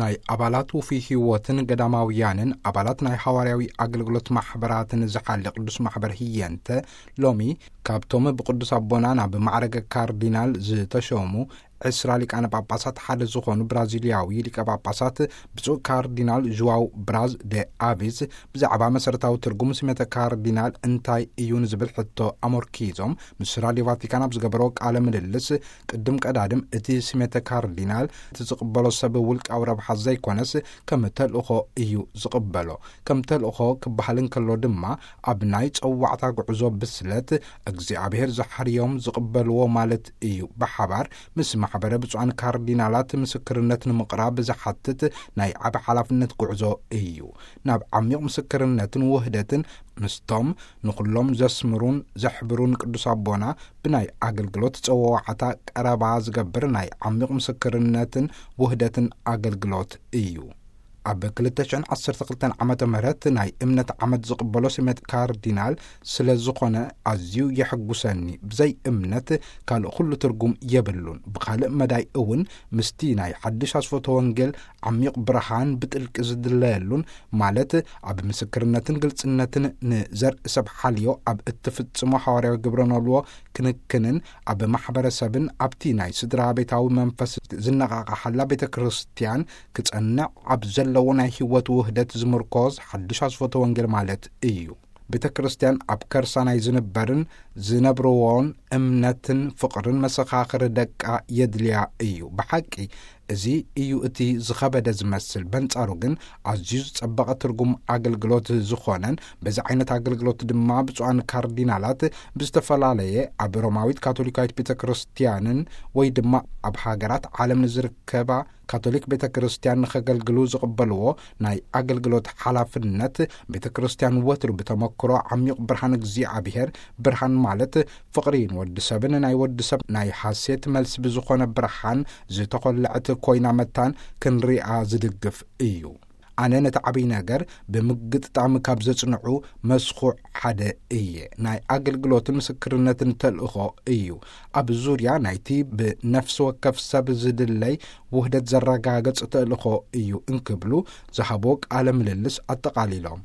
ናይ ኣባላት ውፉይ ህይወትን ገዳማውያንን ኣባላት ናይ ሓዋርያዊ ኣገልግሎት ማሕበራትን ዝሓሊ ቅዱስ ማሕበር ህየንተ፣ ሎሚ ካብቶም ብቅዱስ ኣቦና ናብ ማዕረገ ካርዲናል ዝተሸሙ ዕስራ ሊቃነ ጳጳሳት ሓደ ዝኾኑ ብራዚልያዊ ሊቀ ጳጳሳት ብፁዕ ካርዲናል ዥዋው ብራዝ ደ ኣቪዝ ብዛዕባ መሰረታዊ ትርጉም ስሜተ ካርዲናል እንታይ እዩ ንዝብል ሕቶ ኣመርኪዞም፣ ምስ ራድዮ ቫቲካን ኣብ ዝገበሮ ቃለ ምልልስ፣ ቅድም ቀዳድም እቲ ስሜተ ካርዲናል እቲ ዝቕበሎ ሰብ ውልቃዊ ረብሓ ዘይኮነስ ከም ተልእኾ እዩ ዝቕበሎ። ከም ተልእኾ ክበሃል እንከሎ ድማ፣ ኣብ ናይ ጸዋዕታ ጉዕዞ ብስለት እግዚኣብሔር ዝሓርዮም ዝቕበልዎ ማለት እዩ። ብሓባር ምስ ማሕበረ ብፁዓን ካርዲናላት ምስክርነት ንምቕራብ ዝሓትት ናይ ዓቢ ሓላፍነት ጉዕዞ እዩ። ናብ ዓሚቕ ምስክርነትን ውህደትን ምስቶም ንኹሎም ዘስምሩን ዘሕብሩን ቅዱስ ኣቦና ብናይ ኣገልግሎት ጸዋዕታ ቀረባ ዝገብር ናይ ዓሚቕ ምስክርነትን ውህደትን ኣገልግሎት እዩ። ኣብ ክልተ ሽሕን ዓሰርተ ክልተን ዓመተ ምህረት ናይ እምነት ዓመት ዝቕበሎ ስሜት ካርዲናል ስለ ዝኾነ ኣዝዩ የሐጉሰኒ። ብዘይ እምነት ካልእ ኩሉ ትርጉም የብሉን። ብኻልእ መዳይ እውን ምስቲ ናይ ሓድሽ ኣስፎተ ወንጌል ዓሚቕ ብርሃን ብጥልቂ ዝድለየሉን፣ ማለት ኣብ ምስክርነትን ግልጽነትን ንዘርኢ ሰብ ሓልዮ ኣብ እትፍጽሞ ሓዋርያዊ ግብረ ኖልዎ ክንክንን ኣብ ማሕበረሰብን ኣብቲ ናይ ስድራ ቤታዊ መንፈስ ዝነቓቓሓላ ቤተ ክርስቲያን ክጸንዕ ኣብ ዘለዎ ናይ ህይወት ውህደት ዝምርኮዝ ሓድሽ ኣስፎተ ወንጌል ማለት እዩ። ቤተ ክርስቲያን ኣብ ከርሳ ናይ ዝንበርን ዝነብርዎን እምነትን ፍቕርን መሰኻኽር ደቃ የድልያ እዩ። ብሓቂ እዚ እዩ እቲ ዝኸበደ ዝመስል። በንጻሩ ግን ኣዝዩ ዝጸበቐ ትርጉም ኣገልግሎት ዝኾነን በዚ ዓይነት ኣገልግሎት ድማ ብፁዓን ካርዲናላት ብዝተፈላለየ ኣብ ሮማዊት ካቶሊካዊት ቤተ ክርስቲያንን ወይ ድማ ኣብ ሃገራት ዓለም ንዝርከባ ካቶሊክ ቤተ ክርስቲያን ንኸገልግሉ ዝቕበልዎ ናይ ኣገልግሎት ሓላፍነት፣ ቤተ ክርስቲያን ወትሩ ብተመክሮ ዓሚቕ ብርሃን እግዚኣብሔር፣ ብርሃን ማለት ፍቕሪ ንወዲ ሰብን ናይ ወዲ ሰብ ናይ ሓሴት መልሲ ብዝኾነ ብርሃን ዝተኾለዐት ኮይና መታን ክንሪኣ ዝድግፍ እዩ። ኣነ ነቲ ዓብይ ነገር ብምግጥጣም ካብ ዘጽንዑ መስኹዕ ሓደ እየ። ናይ ኣገልግሎትን ምስክርነትን ተልእኾ እዩ። ኣብ ዙርያ ናይቲ ብነፍሲ ወከፍ ሰብ ዝድለይ ውህደት ዘረጋግጽ ተልእኾ እዩ እንክብሉ ዝሃቦ ቃለ ምልልስ ኣጠቓሊሎም።